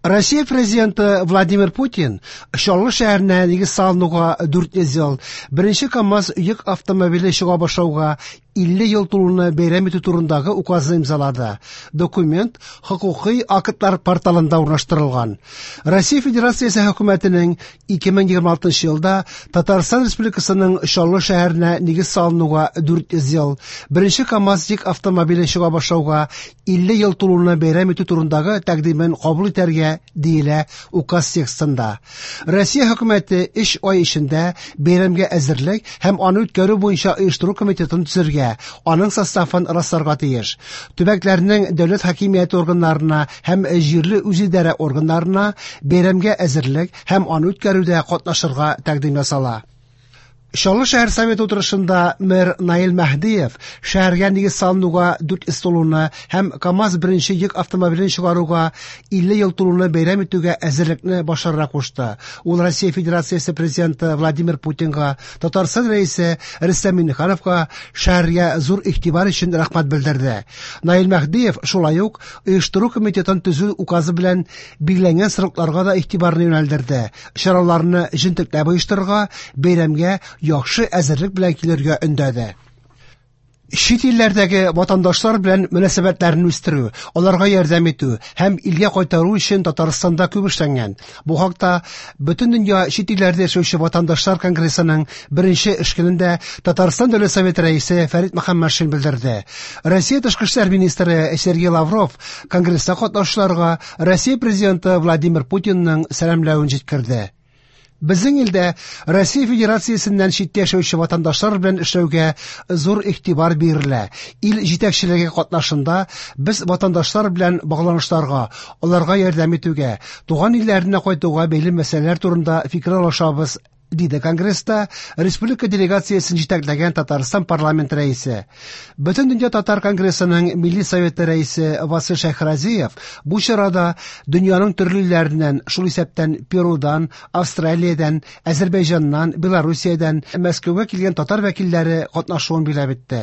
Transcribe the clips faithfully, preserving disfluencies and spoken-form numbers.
Россия президенты Владимир Путин Чаллы шәһәренә нигез салынуга дүрт йөз ел, беренче КАМАЗ йөк автомобиле чыга башлауга илле ел тулуны бәйрәм итү турындагы указны имзалады. Документ хокукый актлар порталында урнаштырылган. Россия Федерациясе хөкүмәтенең ике мең егерме алтынчы елда Татарстан Республикасының Чаллы шәһәренә нигез салынуга дүрт йөз ел, беренче КАМАЗ йөк автомобиле чыга башлауга илле ел тулуны бәйрәм итү турындагы тәкъдимен кабул итәргә диелә указ текстында. Россия хөкүмәте өч ай эчендә бәйрәмгә әзерлек һәм аны үткәрү буенча оештыру комитетын төзергә, аның составын расларга тиеш. Төбәкләрнең дәүләт хакимияте органнарына һәм җирле үзидарә органнарына бәйрәмгә әзерлек һәм аны үткәрүдә катнашырга тәкъдим ясала. Чаллы шәһәр советы утырышында мэр Наил Мәһдиев шәһәргә нигез салынуга дүрт йөз тулуны һәм КАМАЗ беренче йөк автомобилен чыгаруга илле ел тулуны бәйрәм итүгә әзерлекне башларга кушты. Ул Россия Федерациясе президенты Владимир Путинга, Татарстан рәисе Рөстәм Миңнехановка шәһәргә зур игътибар өчен рәхмәт белдерде. Наил Мәһдиев шулай ук оештыру комитетын төзү указы белән билгеләнгән срокларга да игътибарны юнәлдерде. Чараларны җентекләп оештырырга, бәйрәмгә яхшы әзерлек белән килергә өндәде. Чит илләрдәге ватандашлар белән мөнәсәбәтләрен үстерү, аларга ярдәм итү һәм илгә кайтару өчен Татарстанда күп эшләнгән. Бу хакта Бөтен дөнья чит илләрдә яшәүче ватандашлар конгрессының беренче эш көнендә Татарстан Дәүләт Советы рәисе Фәрит Мөхәммәтшин белдерде. Россия тышкы эшләр министры Сергей Лавров конгресста катнашучыларга Россия президенты Владимир Путинның сәламләвен җиткерде. Безнең илдә Россия Федерациясеннән читтә яшәүче ватандашлар белән эшләүгә зур игътибар бирелә. Ил җитәкчелеге катнашында без ватандашлар белән багланышларга, аларга ярдәм итүгә, туган илләренә кайтуга бәйле мәсьәләләр турында фикер алышабыз, диде конгресста республика делегациясен җитәкләгән Татарстан парламент рәисе. Бөтен дөнья татар конгрессының Милли советы рәисе Васил Шәйхразиев бу чарада дөньяның төрле илләреннән, шул исәптән Перудан, Австралиядән, Азербайҗаннан, Белоруссиядән Мәскәүгә килгән татар вәкилләре катнашуын билгеләп үтте.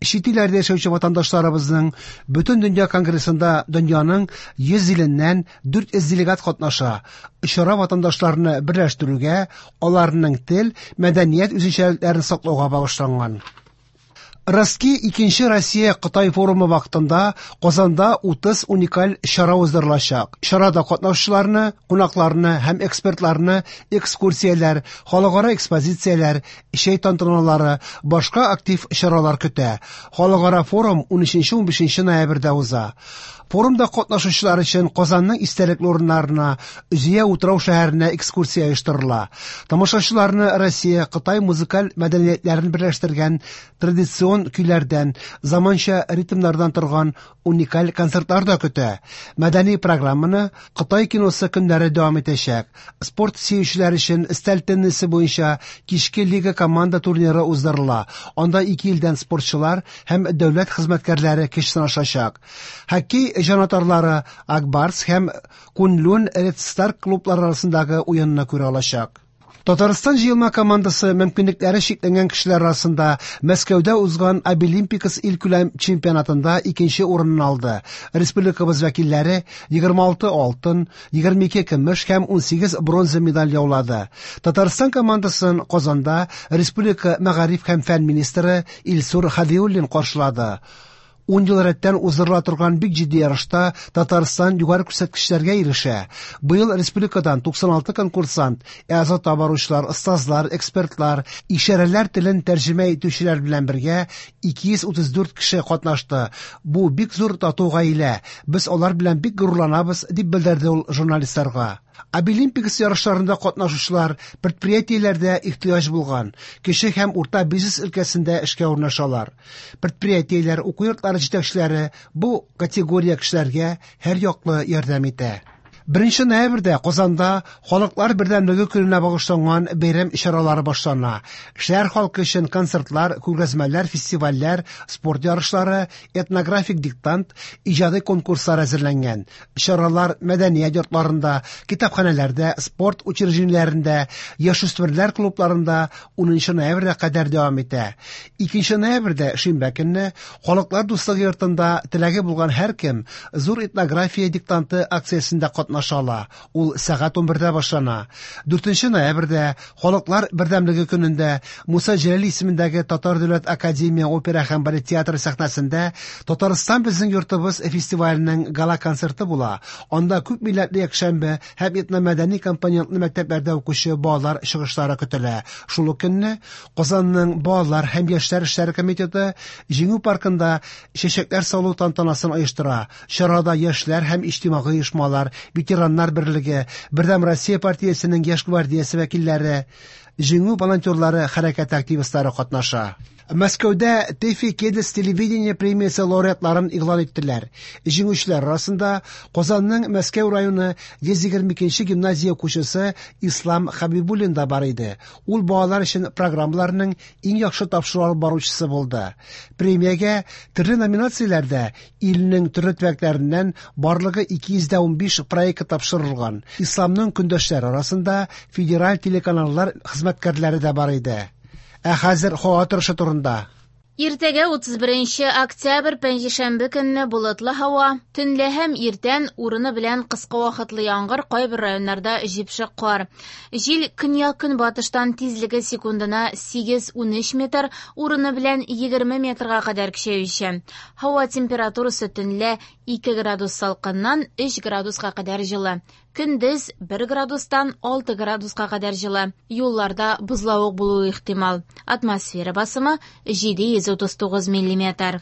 Чит илләрдә яшәүче ватандашларыбызның Бөтен дөнья конгрессында дөньяның йөз иленнән дүрт йөз делегат катнаша. Чара ватандашларны берләштерүгә, аларның тел, мәдәният үзенчәлекләрен саклауга багышланган. Ростки икенче Россия Кытай форумы вакытында Казанда утыз уникаль чара уздырылачак. Чарада катнашучыларны, кунакларны һәм экспертларны экскурсияләр, халыкара экспозицияләр, чәй тантаналары, башка актив чаралар көтә. Халыкара форум унөченче унбишенче ноябрьдә уза. Форумда катнашучылар өчен Казанның истәлекле урыннарына, Зөя утрау шәһәренә экскурсия оештырыла. Тамашачыларны Россия, Кытай музыкаль мәдәниятләрен берләштергән традицион көйләрдән, заманча ритмнардан торган уникаль концертлар да көтә. Мәдәни программаны Кытай киносы көннәре дәвам итәчәк. Спорт сөючеләр өчен өстәл теннисы буенча кичке лига команда турниры уздырыла. Анда ике илдән спортчылар һәм дәүләт хезмәткәрләре көч сынашачак. Хоккей җанатарлары Акбарс һәм Кунлун Ред Стар клублары арасындагы уенны күрә алачак. Татарстан җыелма командасы мөмкинлекләре чикләнгән кешеләр арасында Мәскәүдә узган Абилимпикс илкүләм чемпионатында икенче урынны алды. Республикабыз вәкилләре егерме алты алтын, егерме ике көмеш һәм унсигез бронза медаль яулады. Татарстан командасын Казанда республика мәгариф һәм фән министры Илсур Хадиуллин каршылады. Ун ел рәттән уздырыла торган бик җитди ярышта Татарстан югары күрсәткечләргә ирешә. Быел республикадан туксан алты конкурсант, ә баручылар, остазлар, экспертлар, ишарәләр телен тәрҗемә итүчеләр белән бергә ике йөз утыз дүрт кеше катнашты. Бу бик зур тату гаилә. Без алар белән бик горурланабыз, дип белдерде ул журналистларга. Абилимпикс ярышларында катнашучылар предприятиеләрдә ихтыяҗ булган кече һәм урта бизнес өлкәсендә эшкә урнашалар. Предприятиеләр, уку йортлары җитәкчеләре бу категория кешеләргә һәр яклы ярдәм итә. Беренче ноябрьдә Казанда Халыклар бердәмлеге көненә багышланган бәйрәм чаралары башлана. Шәһәр халкы өчен концертлар, күргәзмәләр, фестивальләр, спорт ярышлары, этнографик диктант, иҗади конкурслар әзерләнгән. Чаралар мәдәният йортларында, китапханәләрдә, спорт учреждениеләрендә, яшүсмерләр клубларында унынчы ноябрьгә кадәр дәвам итә. Икенче ноябрьдә шимбә көнне Халыклар дуслыгы йортында теләге булган һәркем зур этнография диктанты акциясендә катнаша катнаша ала. Ул сәгать унбердә башлана. Дүртенче ноябрьдә Халыклар бердәмлеге көнендә Муса Җәлил исемендәге Татар дәүләт академия опера һәм балет театры сәхнәсендә Татарстан безнең йортыбыз фестиваленең гала-концерты була. Анда күп милләтле якшәмбе һәм этномәдәни компонентлы мәктәпләрдә укучы балалар чыгышлары көтелә. Шул ук көнне Казанның балалар һәм яшьләр эшләре комитеты Җиңү паркында чәчәкләр салу тантанасын оештыра. Чарада яшьләр һәм иҗтимагый оешмалар, ветераннар берлеге, Бердәм Россия партиясенең яшь гвардиясе вәкилләре, Җиңү волонтерлары хәрәкәте активистлары катнаша. Мәскәүдә Тэфи Кедес телевидение премиясе лауреатларын игълан иттеләр. Җиңүчеләр арасында Казанның Мәскәү районы йөз егерме икенче гимназия укучысы Ислам Хабибуллин да бар иде. Ул балалар өчен программаларның иң яхшы тапшыру алып баручысы булды. Премиягә төрле номинацияләрдә илнең төрле төбәкләреннән барлыгы ике йөз дә унбиш проект тапшырылган. Исламның көндәшләре арасында федераль телеканаллар хезмәткәрләре дә бар иде. Ә хәзер һава торышы турында. Иртәгә утыз беренче октябрь пәнҗешәмбе көнне болытлы һава, төнлә һәм иртән урыны белән кыска вакытлы яңгыр, кайбер районнарда җепшек кар. Җил көньяк-көнбатыштан тизлеге секундына сигез-унөч метр, урыны белән егерме метрга кадәр көчәюче. Һава температурасы төнлә ике градус салкыннан өч градуска кадәр җылы. Көндез бер градустан алты градуска кадәр җылы. Юлларда бозлавык булуы ихтимал. Атмосфера басымы җиде йөз утыз тугыз миллиметр.